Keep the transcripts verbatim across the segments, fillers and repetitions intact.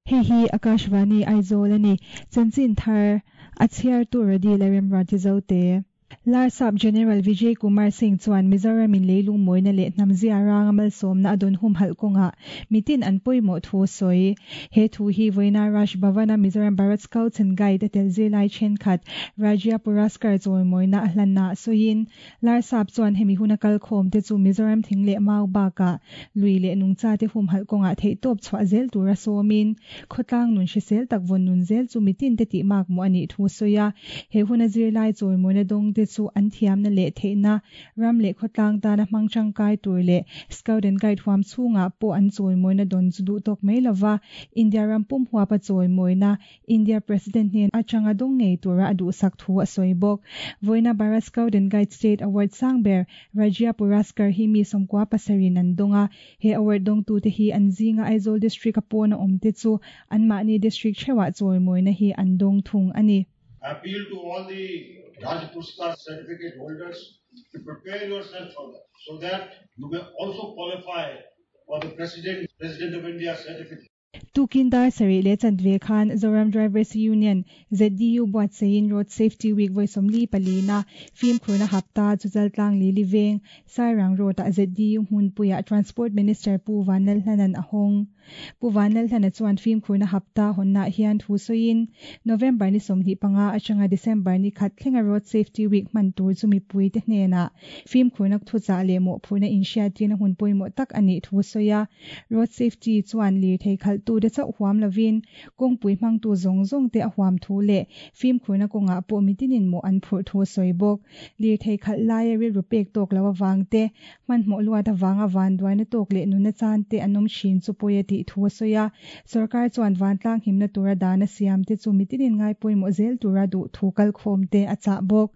Hei hi Akashvani Aizawl a ni. Chanchin thar a chhiartu Radi Lalremruati Zote. Larsap General Vijay Kumar Singh chuan Mizoram in leilung mawina leh hnam zia ranga malsawmna a dawn humhalh kawngah mitin an pawimawh thu a sawi. He thu hi vawiina Raj Bhavan-a Mizoram Bharat Scouts and Guide a tel zirlai thenkhat Rajya Puraskar chawimawina a hlanna sawiin Larsap chuan hemi huna kalkhawm te chu Mizoram thing leh mau bakah lui leh nungcha te humhalh kawngah theihtawp chhuah zel tura sawmin khawtlang nun hrisel tak vawn nun zel chu mitin te tih mak mawh a nih thu a sawi a. He huna zirlai chawimawina dawng te chu an thiamna leh theihna ram leh khawtlang tana hmang tangkai tur leh Scout and Guide huam chhungah pawh an chawimawina dawn chu duh tawk mai lova India ram pum huapa chawimawina India President hnen atanga dawng ngei tura a duhsak thu a sawi bawk. Vawiina Bharat Scout and Guide State Award sang ber Rajya Puraskar hi mi sawmkua pasarin an dawng a. He award dawngtu te hi an zinga Aizawl District a pawn a awm te chu anmahni district theuhah chawimawina hi an dawng thung a ni. I appeal to all the Rajya Puraskar certificate holders to prepare yourself for that, so that you may also qualify for the President, President of India certificate. Tukin dar sarih leh chanve khan Zoram Drivers Union, Z D U buatsaiin Road Safety Week vawi sawmli palina fimkhurna hapta chu chaltlang li li veng Sairang Road-ah Z D U hmunpuiah Transport Minister Pu Vanlalhlanan a hawng. Pu Vanlalhlana chuan fimkhurna hapta hawnnaah hian thu sawiin November ni sawmhnih panga atanga December ni khat thlenga Road Safety Week hman tur chu mipui te hnenah fimkhurna thuchah leh mawhphurna inhriattirna hun pawimawh tak a nih thu sawi a. Road Safety chuan lirthei khalhtu te chauh huam lovin kawngpui hmangtu zawng zawng te a huam thu leh fimkhurna kawngah pawh mitinin mawh an phurh thu a sawi bawk. Lirthei khalh laia rilru pek tawk lo avang te hmanhmawh luat avanga vanduaina tawk leh nuna chan te an awm thin chu pawi a tih thu a sawi a. Sorkar chuan vantlang himna tura dana siam te chu mitinin ngai pawimawh zel tura duh thu kalkhawm te a chah bawk.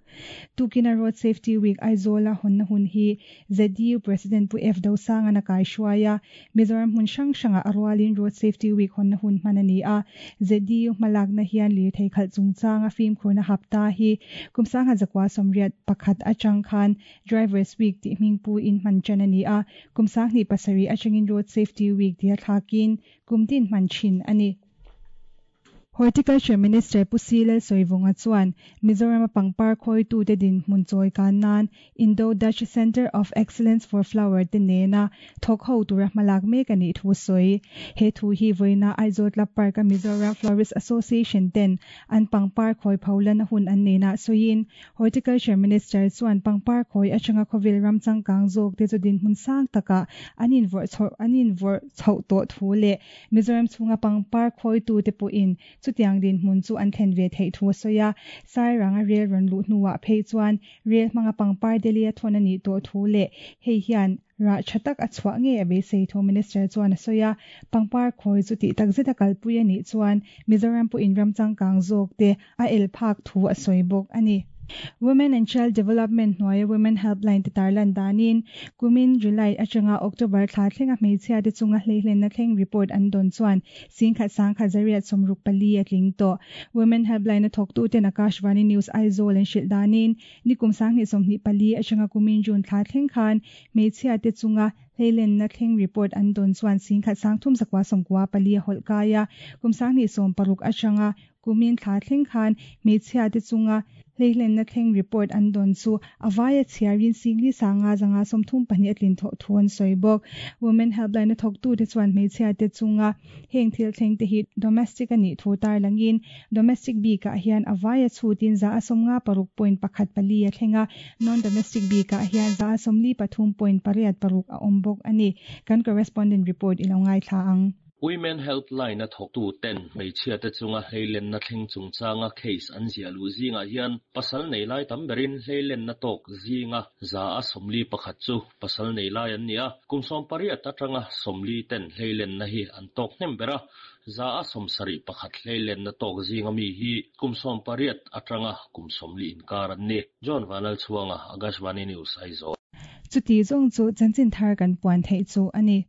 Tukina Road Safety Week Aizawla hawnna hun hi Z D U President Pu F Dosangana kai hruai a. Mizoram hmun hrang hrangah a rualin Road Safety Week hawnna hun hman a ni a. Z D U hmalakna hian lirthei khalh chungchanga fimkhurna hapta hi kum sangha zakua sawmriat pakhat atang khan Drivers Week tih hmingpu in hman ṭan a ni a. Kum sanghnih pasarih atangin Road Safety Week tia thlakin kum tin hman thin a ni. Horticulture Minister Pu C Lalsawivunga chuan Mizoram a pangpar khawitu te dinhmun chawi kan nan Indo-Dutch Centre of Excellence for Flower te nena thawk ho tura hmalak mek a nih thu sawi. He thu hi vawiina Aizawl Club Park a Mizoram Florist Association ten an pangpar khawi pholana hun an nena sawiin Horticulture Minister chuan pangpar khawi atanga khawvel ram changkang zawk te chu dinhmun sang takah an invawrh chho an invawrh chhoh tawh thu leh Mizoram chhunga pangpar khawitu te pawhin chutiang dinhmun chu an thlen ve theih thu a sawi a. Sairang a rel rawn luh hnuah phei chuan rel hmanga pangpar Delhi a thawn a nih tawh thu leh hei hian rah tha tak a chhuah nge a beisei thu Minister chuan a sawi a. Pangpar khawi chu tih tak zet a kalpui a nih chuan Mizoram pawhin ram changkang zawk te a el phak thu a sawi bawk a ni. Women and Child Development hnuaia Women Helpline te tarlan danin kumin July atanga October thla thlenga hmeichhia te chunga hleihlenna thleng report an dawn chuan singkhat sangkhat zariat sawmruk pali a tling tawh. Women Helpline a thawktu ten Akashvani News Aizawl an hrilh danin nikum sanghnih sawmhnih pali atanga kumin June thla thleng khan hmeichhia te chunga hleilenna thleng report an dawn chuan singkhat sangthum zakua sawmkua pali a hawlh kai a. Kum sanghnih sawm paruk atanga kumin thla thleng khan hmeichhia te chunga hleilenna thleng report an dawn chu avaia chhiarin singli sanga zanga sawmthum pahnih a tlin thawh thu an sawi bawk. Women Helpline a thawktu te chuan hmeichhia te chunga heng thil thleng te hi domestic a nih thu tarlangin domestic bikah hian avaia chhutin za a sawmnga paruk point pakhat pali a thlenga non domestic bikah hian za a sawmli pathum point pariat paruk a awm bawk a ni. Kan correspondent report i lo ngai thla ang. Women Helpline a thawktu ten hmeichhia te chunga hleilenna thleng chungchanga case an zia lu zingah hian pasal nei lai tam berin hleilenna tawk zinga za a sawmli pakhat chu pasal nei lai an ni a. Kum sawm pariat atanga sawmli ten hleilenna hi an tawk hnem bera za a sawmsarih pakhat hleilenna tawk zinga mi hi kum sawm pariat atanga kum sawmli inkar an ni. John Vanal Chuanga Akashvani News Aizawl. Chuti zawng chu chanchin thar kan puan theih chu a ni.